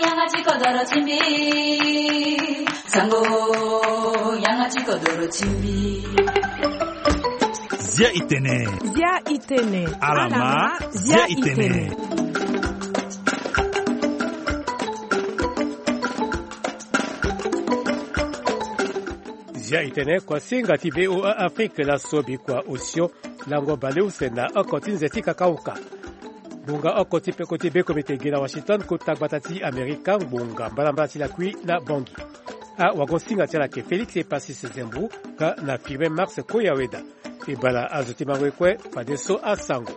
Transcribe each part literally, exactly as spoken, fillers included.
Yanga ti kodoro ti mbi. Sango, yanga ti kodoro ti mbi. Zia itene. Zia itene. Alama, zia itene. Zia itene, kuasinga ti V O A Afrique, laso bikua osio lango baleuse na oko ti nze ti kakauka. Ngbonga oko ti peko ti bekomite ge na Washington, kota gbata ti Amerika, ngbonga mbalambala ti lakui na Bangui. Awagosinga ti ala ayeke Félix Epasis Zembu nga na Firmin Mars Koyaweda. E bala azo ti mango ye kue, fadeso asango.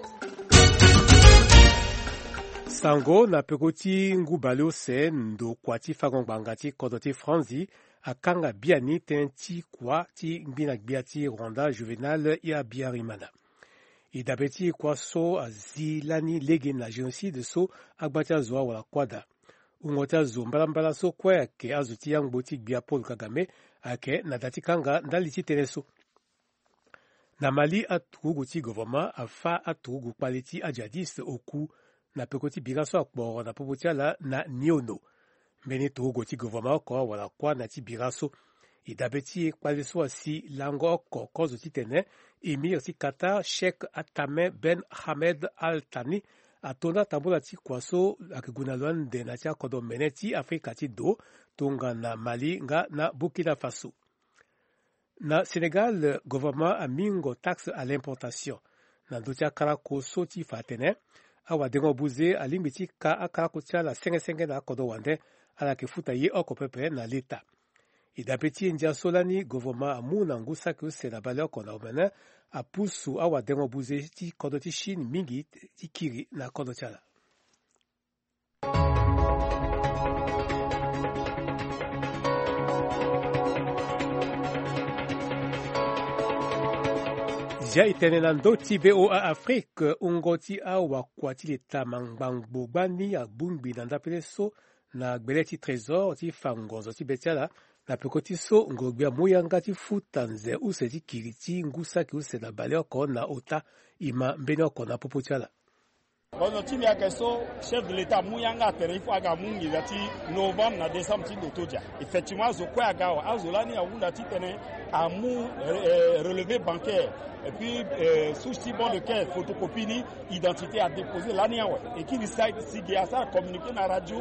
Sango na peko ti ngu baleuse, ndokua ti fango ngbanga ti kodro ti Franzi akanga biani tënë ti kua ti ngbina gbia ti Rwanda, Juvenal Habyarimana. E dabe ti kua so azi lani lege na génocide so agba ti azo awara kuâ daa. Wungo ti azo mbalambala so kue ayeke azo ti yangbo ti gbia Paul Kagame ayeke na da ti kanga ndali ti tënë so. Na Mali, aturugu ti governement afâ aturugu kpale ti ajihadiste oku na peko ti bira so akporo na popo ti ala na Niono. Mbeni turugu ti governement oko awara kuâ na ya ti bira so. E dabe ti e, kpale so asi lango oko kozo titene émir ti Qatar, Cheikh Tamim Ben Hamed Al Thani, ato na tambula ti kua so ayeke gue na lo ande na ya ti akodro mene ti Afrika ti do, tongana Mali nga na Burkina Faso. Na Sénégal, gouvernement amingo taxe à l'importation na ndö ti akalako so ti fa atene awadengo buze alingbi ti ka akalako ti ala senge senge na akodro wande, ala yeke futa ye oko pepe na leta. E dabe ti e, ndia so lani gouvernement amu na ngu saki use na baleoko na omene apusu awadengo buze ti kodro ti Chine mingi ti kiri na kodro ti ala. Zia e tene na ndö ti V O A Afrique, wungo ti awakua ti leta mangbangbo gbani abongbi na ndapele so na gbele ti trésor ti fa ngonzo ti be ti ala, na peko ti so ngoro-gbia amu yanga ti futa nze use ti kiri ti ngu saki use na baleoko na ota, e ma mbeni oko na popo ti ala. Kozo ti mbi ayeke so, chef de l'État amu yanga atene il faut aga amu nginza ti novembre na décembre ti ndo to dia. Effectivement, azo kue aga awe, azo lani ahunda titene amu, euh, relevé bancaire, et puis, euh, souche ti bon de caisse, photocopie ni, identité adéposé lani awe. E kiri side si ge asara communiqué na radio.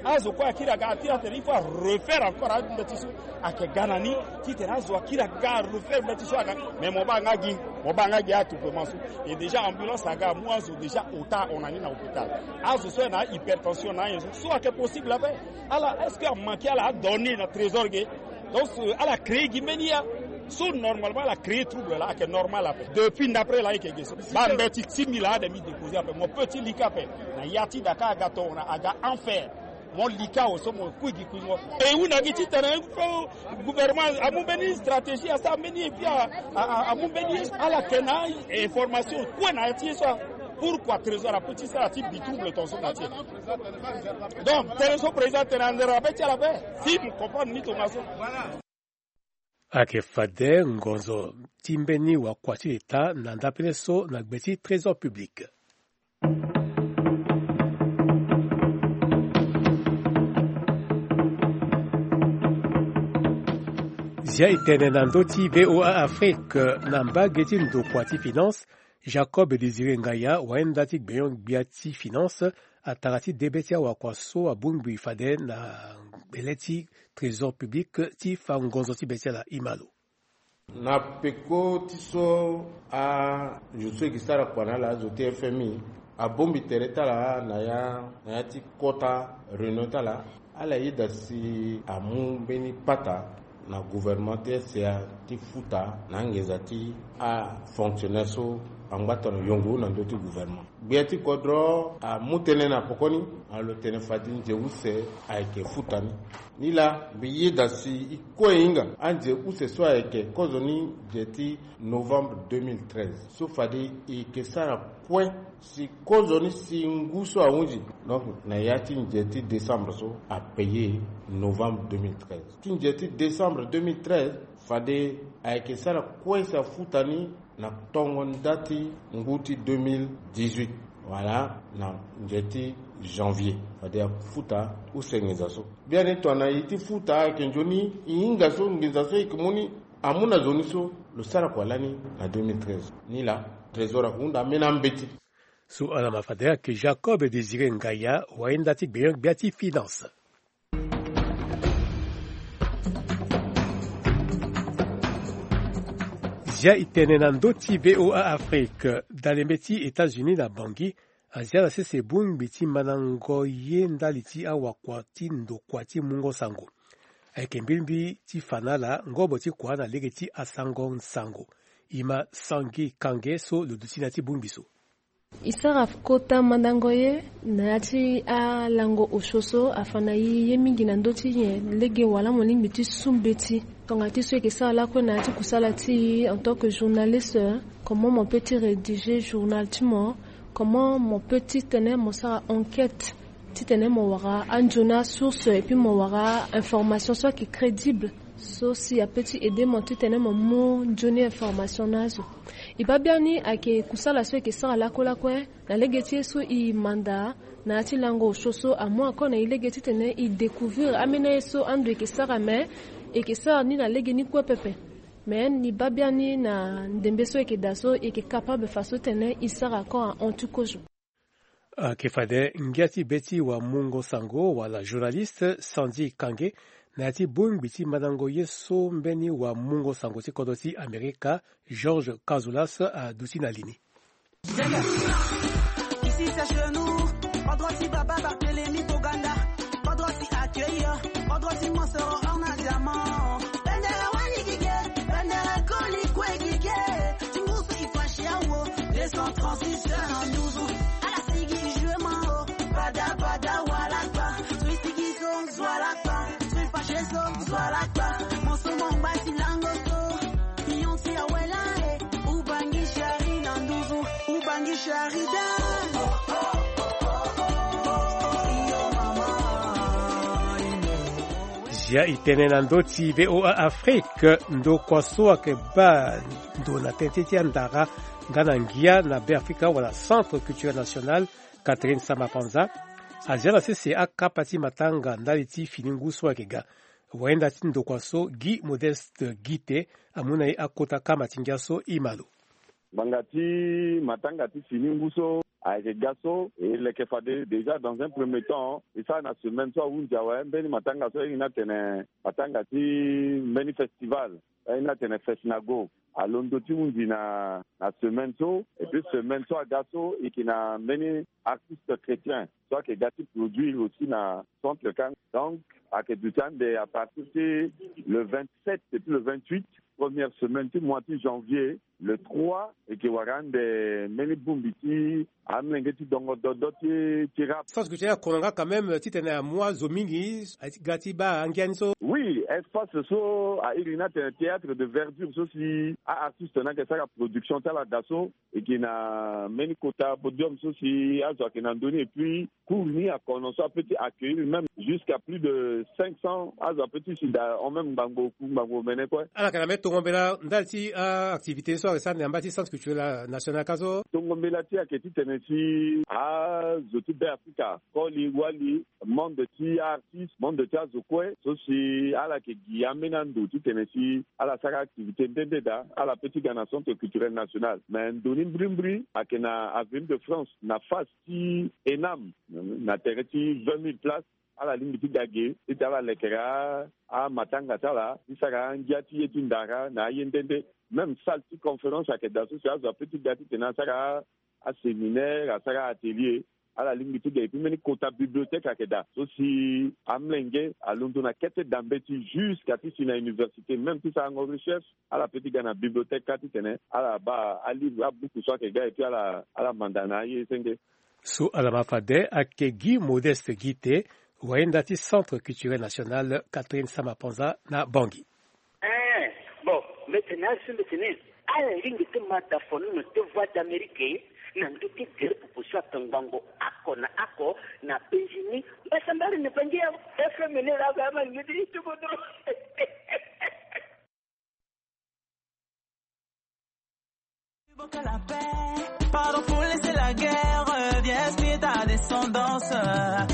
Azo kue akiri aga atiri atene il faut arefaire encore ande ti so. Ayeke ga na ni titene azo akiri aga arefaire mbeti so aga. Mais mo baa nga gi, mo baa nga gi atupement so. Et déjà ambulance aga amu azo déjà ota ahon na ni na hôpital. Azo so ayeke na hypertension na anyen so, so ayeke possible ape. Ala, est-ce que amanqué ala adonné na trésor ge? Donc, euh, ala créé gi mbeni ya so, normalement ala créé trouble laa, ayeke normal ape. Depuis ndapre laa ayeke ge so, baa mbeti ti mbi laa ade mbi déposé ape. Mo peut ti lika ape na ya ti Dakar aga tongana aga enfer. Mo lika awe so mo kui gi kuingo. E hunda gi titene gouvernement amu mbeni stratégie, asara mbeni ye, puis a, a, a, amu mbeni ye so. Ala yeke na information kue na ya ti ye so. Pourquoi trésor apeut ti sara ti bi trouble tongaso na ti e? Donc tene so président atene anzere abe ti ala ape. Si mo comprendre ni tongaso. Ayeke fade ngonzo ti mbeni wakua ti leta na ndapele so na gbe ti trésor public. Zia e tene na ndö ti V O A Afrique, na mbage ti ndokua ti finance, Jacob Désiré Ngaya, wayenda ti gbenyo-gbia ti finance, atara ti debe ti awakua so abongbi fade na gbele ti trésor public ti fa ngonzo ti be ti ala. E ma lo. Na peko ti so azo so e ke sara kua na ala, azo ti F M I, abongbi tere ti ala na ya, na ya ti kota réunion ti ala. Ala yeda si amu mbeni pata na gouvernement ti S C A ti futa na anginza ti afonctionnaire so angba tongana yongo na ndö ti gouvernement. Gbia ti kodro amu tënë na pokoni, alo tene fade nze use ayeke futa ni. Nilaa mbi yeda si e kue e hinga anze use so ayeke kozoni nze ti novembre deux mille treize so fade e yeke sara kue si kozoni si ngu so ahunzi. Donc na ya ti nze ti décembre so apaye novembre deux mille treize. Ti nze ti décembre deux mille treize fade ayeke sara kue si afuta ni na tongo nda ti ngu ti deux mille dix-huit. Wala na nze ti janvier fade afuta use nginza so. Biani tongana e ti futa ayeke nzoni e hinga so nginza so e yeke mu ni amu na zo ni so. Lo sara kua lani na deux mille treize ni laa. Trésor ahunda ambeni ambeti. So ala ma fade ayeke Jacob Désiré Ngaya, wayenda ti gbenyo-gbia ti finance. Zia e tene na ndö ti V O A Afrique. Dalembe ti États-Unis na Bangui, azia na sese bongbi ti mandango ye ndali ti awakua ti ndokua ti mungo sango. Ayeke mbirimbi ti fa na ala ngobo ti kua na lege ti asango nsango. E ma Sangi Kange so lo duti na ya ti bongbi so. E sara kota mandango ye na ya ti alango osio so afa na e ye mingi na ndö ti nyen lege wala mo lingbi ti su mbeti. Tongana ti so e yeke sara lakue na ya ti kusala ti e en tant que journaliste, comment mo peut ti rédiger journal ti mo, comment mo peut titene mo sara enquête titene mo wara anzoni asource et puis mo wara information so ayeke crédible, so si apeut ti aider mo titene mo mu nzoni information na azo. E baa biani ayeke kusala so e yeke sara lakue lakue na lege ti ye so e manda na ya ti lango osio so amu encore na e lege titene e découvrir ambeni aye so ando e yeke sara, me e yeke sara ni na lege ni kue pepe. Me ni baa biani na ndembe so e yeke daa so e yeke capable faso titene e sara encore ahon ti kozo. Ayeke fade ngia ti be ti wamungo sango wala journaliste Sandy Kange na ya ti bongbi ti mandango ye so mbeni wamungo sango ti kodro ti Amerika, Georges Kazoulas, aduti na li ni. Ici c'est chez nous, pas droit si Baba Barthélemy Boganda, pas droit si accueillir, pas droit si Monsoro en a diamant. Bendera wani gige, bendera koli kwe gige. Tingusu ifashiawo, deux cent trente-six en douze. Ala sigi jue mao, bada bada walakpa. Sui sigi so zwalakpa, sui fashe so zwalakpa. Moso mo ngba ti lango so, pion ti awela e. Ubangi shari na nduzu, ubangi shari da. Zia e tene na ndö ti V O A Afrique, ndokua so ayeke baa ndo na tënë ti andara nga na ngia na Beafrika wala Centre Culturel National, Catherine Samba Panza, azia na sese akapa ti matanga ndali ti fini ngu so ayeke ga. Wayenda ti ndokua so Guy Modeste Guite amu na e akota kama ti ngia so e ma lo. Ngbanga ti matanga ti fini ngu so ayeke ga so, e leke fade déjà dans un premier temps e sara na semaine so ahunzi awe mbeni matanga so airi ni atene matanga ti mbeni festival, airi ni atene Fesnago, alondo ti hunzi na, na semaine so. Et puis semaine so aga so e yeke na mbeni artiste chrétien so ayeke ga ti produire aussi na centre kang. Donc ayeke duti ande à partir ti le vingt-sept et puis le vingt-huit, première semaine ti mois ti janvier, le trois, e yeke wara ande mbeni bongbi ti amolenge ti dongo dodo ti, ti rap. Sens que ti akono nga quand même titene amu azo mingi ga ti baa angia ni so. Oui, espace so airi ni atene théâtre de verdure so si a-artiste ni ayeke sara production ti ala daa so. E yeke na mbeni kota podium so si azo ayeke na ndö ni, et puis cour ni akono so apeut ti accueillir même jusqu'à plus de cinq cents azo apeut ti si daa en même ngbangbo oku ngbangbo omene kue. Ala yeke na mbeni tongo mbela ndali ti a-activité so ayeke sara na yamba ti Centre Culturel National ka so. Tongo mbela ti e ayeke titene si azo ti Beafrika, koli wali, monde ti artiste, monde ti azo kue so si ala yeke gi ambeni ando titene si ala sara activité nde nde daa, ala peut ti ga na Centre Culturel National. Mais ndo ni mbirimbiri ayeke na Avenue de France na face ti ENAM, na tere ti vingt mille places. Ala lingbi ti ga ge titene ala lekere a, amatanga ti ala ti sara angia ti ye ti ndara na aye nde nde. Même salle ti conférence ayeke daa so si azo apeut ti ga titene asara a, aséminaire, asara atelier. Ala lingbi ti ga. Et puis mbeni kota bibliothèque ayeke daa so si amolenge alondo na kete dambe ti jusqu'à ti si na université, même ti sarango recherche, ala peut ti ga na bibliothèque ka titene ala baa alivre, abuku so ayeke ga, et puis ala, ala manda na aye senge. So ala ma fade ayeke Guy Modeste Guite, wayenda ti Centre Culturel National Catherine Samba Panza na Bangui. Eh, bon, mbeti ni asi mbeti ni. Ala lingbi ti ma dafonono ti Voix d'Amérique na ndö ti gere popo so atongbango oko na oko na penzi ni. Mbasambara ni Bangui awe. F M ni la ga ma ngidi ti kodro. Pardon pour laisser la guerre. Esprit ta descendance,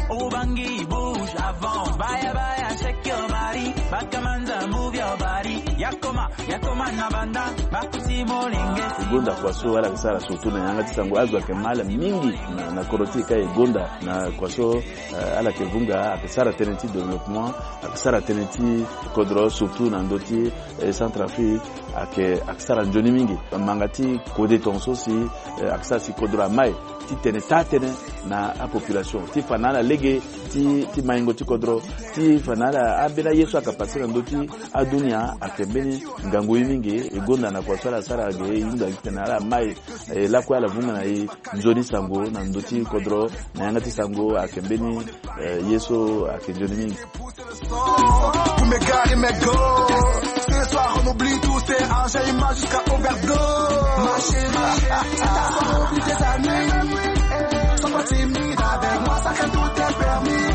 Ubangi bouge avant. Baya baya, shake your body. Bakamanza, move your body. Yakoma, yakoma na banda. Bakuti molenge. Gonda kwa so ala ke sara surtout na yanga ti sango, azo ayeke mal mingi na, na kodro ti e ka e gonda na kwa so, eh, ala ke vunga, ayeke sara tënë ti développement, ayeke sara tënë ti kodro surtout na ndö ti, eh, Centrafrique, ayeke, ayeke sara nzoni mingi. Manga ti kode tongaso si, eh, ayeke sara si kodro amai ti tene taa tënë na apopulation, ti fa na ala lege ti, ti maingo ti kodro, ti fa na ala ambeni aye so ayeke pase na ndö ti adunia, ayeke mbeni ngangu ye mingi. E gonda na kua so ala sara ge, e hunda gi tene ala mai, eh, lakue ala vunga na e nzoni sango na ndö ti kodro, na yanga ti sango ayeke mbeni, eh, ye so ayeke nzoni mingi. Pour mes gars et mes go. Ce soir, on oublie tout, c'est un jeu, image jusqu'à overdose. Ma chérie, ce soir, on oublie tes amis. Sois pas timide avec moi, sacré, tout est permis.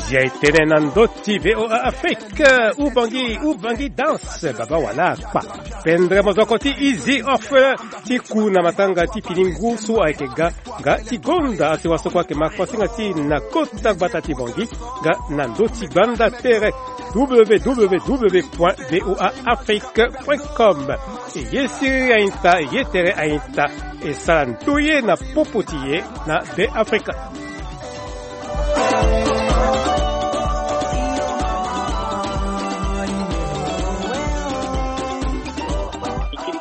Zia e tene na ndö ti V O A Afrique, Ubangi, Ubangi danse, baba wala akpa. Pendere mozoko ti Easy Orphelin ti ku na matanga ti fini ngu so ayeke ga, nga ti gonda asewa so kue ayeke ma kuasinga ti na kota gbata ti Bangui, nga na ndö ti gbanda tere w w w point v o a afrique point com. E ye siriri aita, e ye tere aita, e sara ndoye na popo ti e na Be Afrika.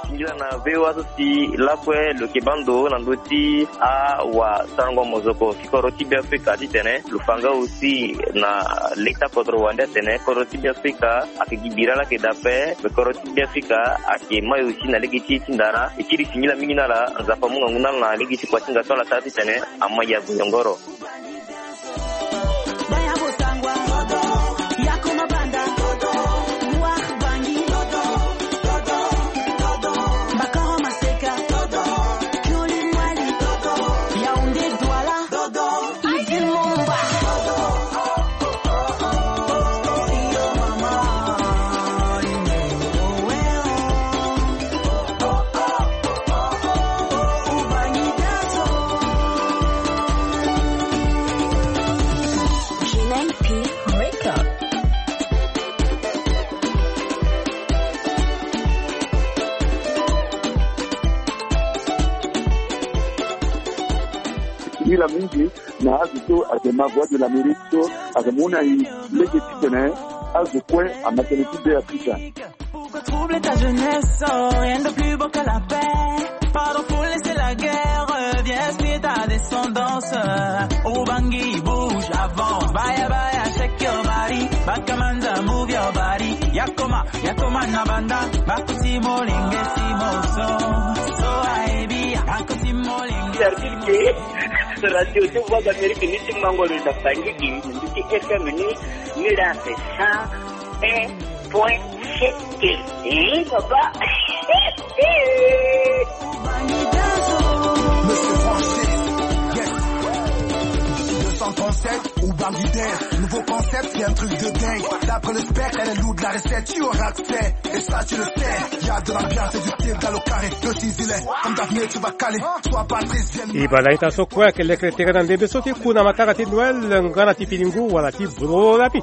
Singila na V O A so si lakue lo yeke baa ndo na ndö ti awasarango mozoko ti kodro ti Be Afrika titene lo fa nga aussi na leta kodro wande atene kodro ti Be Afrika ayeke gi bira laa ayeke daa ape. Me kodro ti Be Afrika ayeke mai aussi na lege ti e ti ndara. E kiri singila mingi na ala, Nzapa amu ngangu na ala na lege ti kua ti nga so ala sara titene amai ya goyongoro. Singila mingi na azo so ayeke ma Voix de l'Amérique so ayeke mu na e lege titene azo kue ama tënë ti Be Afrika. Pourquoi troubler ta jeunesse? Oh, rien de plus beau que la paix. Pardon pour laisser la guerre. Viens inspire ta descendance. Ubangi, bouge, avance. Baya, baya, shake your body. Bakamanza, move your body. Yakoma, yakoma na banda. Bakuti molenge si moso. So aebi, bakuti molenge si moso. Radio ti Voix d'Amérique ni ti mango lo na Bangui, ni ti F M ni, ni la cent un point sept. Eh, papa. Monsieur Francis, yes. Deux cent trente-sept, Ubangi Dance. Nouveau concept, c'est un truc de dingue. D'après le spectre, elle est lourde, la recette, tu auras accès. Et ça, tu le sais. Y a de l'ambiance et du style dans le carré. Le Tizilé, comme Daphné, tu vas caler. Sois Patrice, viens. E banda ita so kue ayeke lekere tere na ndembe so ti ku na matanga ti Noël nga na ti fini ngu wala ti boro lapi.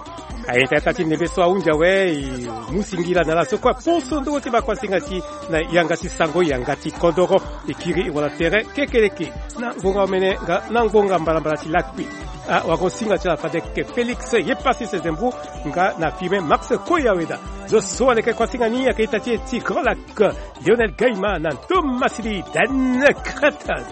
Aita ita ti ndembe so ahunzi awe, e mu singila na ala so kue aposo nduru ti bakuasinga ti na yanga ti sango, yanga ti kodoro. E kiri wala tere kekereke na ngonga omene nga na ngonga mbalambala ti lakui. Awagosinga ti ala fade ayeke Félix Yepasi Sezembou nga na Firmin Max Koyaweda. Zo so aleke kuasinga ni ayeke ita ti e ti Grand Lac, Lionel Gaima na Thomas Lee Dan Cretan.